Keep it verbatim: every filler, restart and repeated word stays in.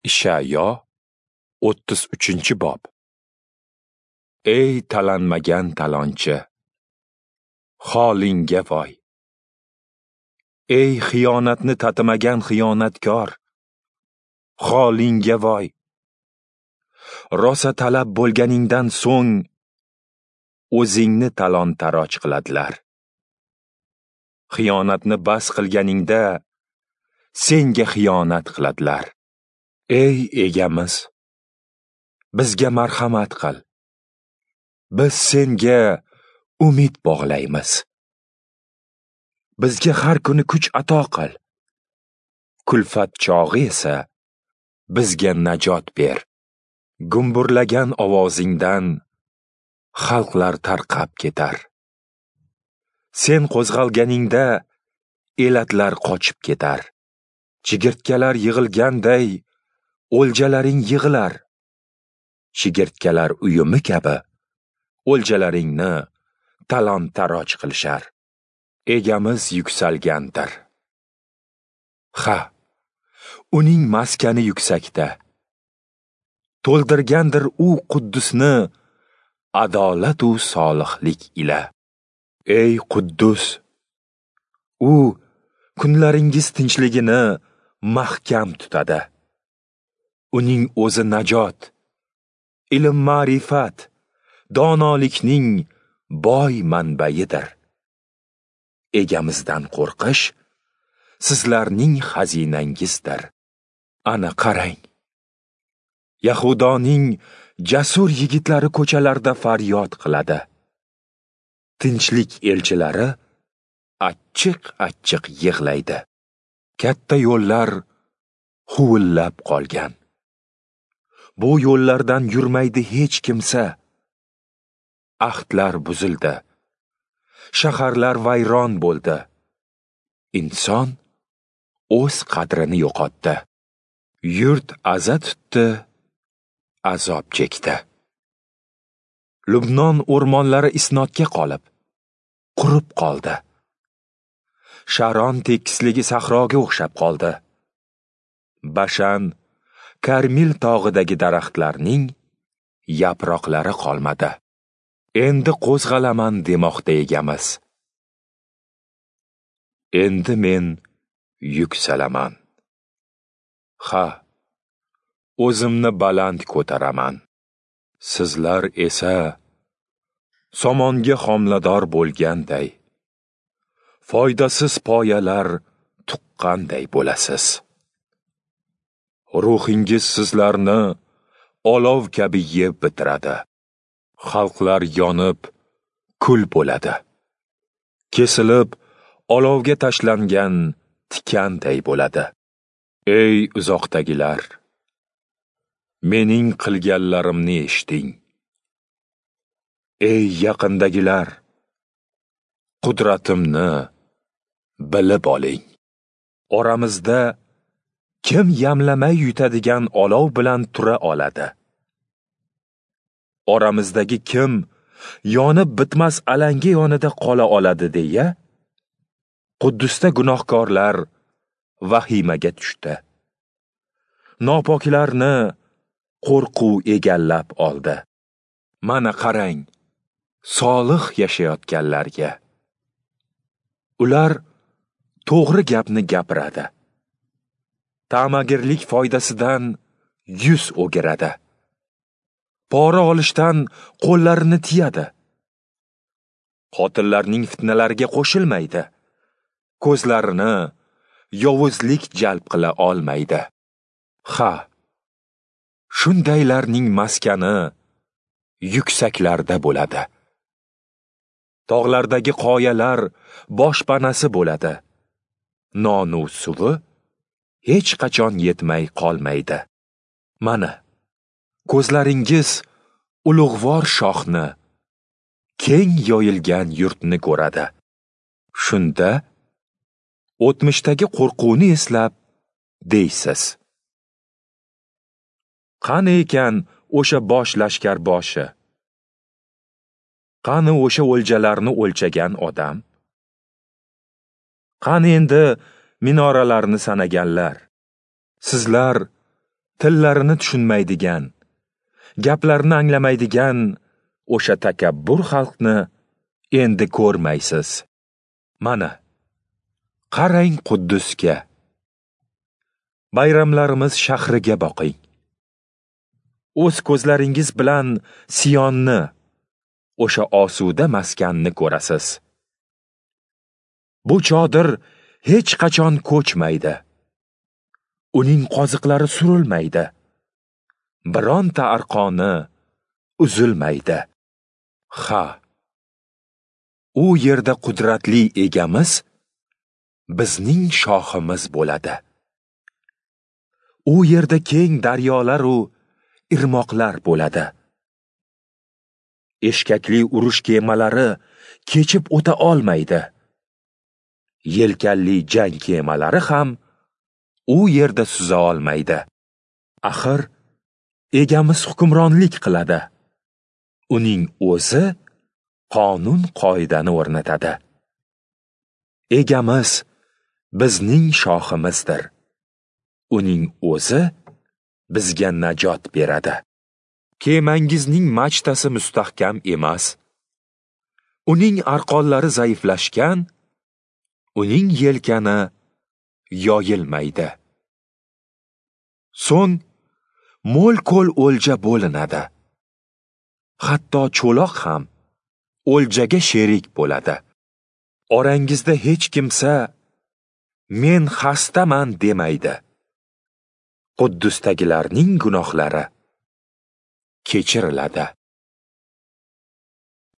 Ishayo o'ttiz uchinchi bob. Ey talanmagan talonchi, holingga voy! Ey xiyonatni tatimagan xiyonatkor, holingga voy! Rosa talab bo'lganingdan so'ng o'zingni talon-taroj qiladilar. Xiyonatni bas qilganingda senga xiyonat qiladilar. Ey egamiz, bizga marhamat qil. Biz senga umid bog'laymiz. Bizga har kuni kuch ato qil. Kulfat chog'i esa bizga najot ber. Gumburlagan ovozingdan xalqlar tarqab ketar. Sen qo'zg'alganingda elatlar qochib ketar. Chigirtkalar yig'ilganday o'ljalaring yig'ilar. Chigirtkalar uyumi kabi o'ljalaringni talon-taroj qilishar. Egamiz yuksalgandir. Ha, uning maskani yuksakda. To'ldirgandir u Quddusni adolat u solihlik ila. Ey Quddus, u kunlaringiz tinchligini mahkam tutadi. Uning o'zi najot, ilm ma'rifat, donolikning boy manbaidir. Egamizdan qo'rqish sizlarning xazinangizdir. Ana qarang, Yahudoning jasur yigitlari ko'chalarda faryod qiladi. Tinchlik elchilari achchiq-achchiq yig'laydi. Katta yo'llar huvillab qolgan. Bu yo'llardan yurmaydi hech kimsa. Ahdlar buzildi. Shaharlar vayron bo'ldi. Inson o'z qadrini yo'qotdi. Yurt aza tutdi, azob chekdi. Lubnon o'rmonlari isnodga qolib, qurib qoldi. Sharon tekisligi sahroga o'xshab qoldi. Bashan, Karmil tog'idagi daraxtlarning yaproqlari qolmadi. Endi qo'zg'alaman demoqda egamiz. Endi men yuksalaman. Ha, o'zimni baland ko'taraman. Sizlar esa somonga homilador bo'lganday, foydasiz poyalar tuqqanday bo'lasiz. Ruhingiz sizlarni olov kabi yeb bitiradi. Xalqlar yonib kul bo'ladi. Kesilib olovga tashlangan tikanday bo'ladi. Ey uzoqdagilar, mening qilganlarimni eshiting. Ey yaqindagilar, qudratimni bilib oling. Oramizda kim yamlamay yutadigan olov bilan tura oladi? Oramizdagi kim yonib bitmas alanga yonida qola oladi deya Quddusda gunohkorlar vahimaga tushdi. Nopoklarni qo'rquv egallab oldi. Mana qarang, solih yashayotganlarga. Ular to'g'ri gapni gapiradi. Ta'magirlik foydasidan yuz o'giradi. Pora olishdan qo'llarini tiyadi. Qotillarning fitnalariga qo'shilmaydi. Ko'zlarini yovuzlik jalb qila olmaydi. Ha, shundaylarning maskani yuksaklarda bo'ladi. Tog'lardagi qoyalar boshpanasi bo'ladi. Nonu suvi hech qachon yetmay qolmaydi. Mana, ko'zlaringiz ulug'vor shohni, keng yoyilgan yurtni ko'radi. Shunda o'tmishdagi qo'rquvni eslab deysiz: qani ekan o'sha bosh lashkar boshi? Qani o'sha o'ljalarni o'lchagan odam? Qani endi minoralarni sanaganlar? Sizlar Tillarini tushunmaydigan, gaplarini anglamaydigan o'sha takabbur xalqni endi ko'rmaysiz. Mana, qarang Quddusga. Bayramlarimiz shahriga boqing. O'z ko'zlaringiz bilan Siyonni, o'sha osuda maskanni ko'rasiz. Bu chodir hech qachon ko'chmaydi. Uning qoziqlari surilmaydi. Bironta arqoni uzilmaydi. Ha, u yerda qudratli egamiz bizning shohimiz bo'ladi. U yerda keng daryolar u irmoqlar bo'ladi. Eshkakli urush kemalari kechib o'ta olmaydi. Yelkanli jang kemalari ham u yerda suza olmaydi. Axir egamiz hukmronlik qiladi. Uning o'zi qonun qoidani o'rnatadi. Egamiz bizning shohimizdir. Uning o'zi bizga najot beradi. Kemangizning machtasi mustahkam emas. Uning arqonlari zaiflashgan, uning yelkani yoyilmaydi. So'ng mo'l-ko'l o'lja bo'linadi. Hatto cho'loq ham o'ljaga sherik bo'ladi. Orangizda hech kimsa men xastaman demaydi. Quddusdagilarning gunohlari kechiriladi.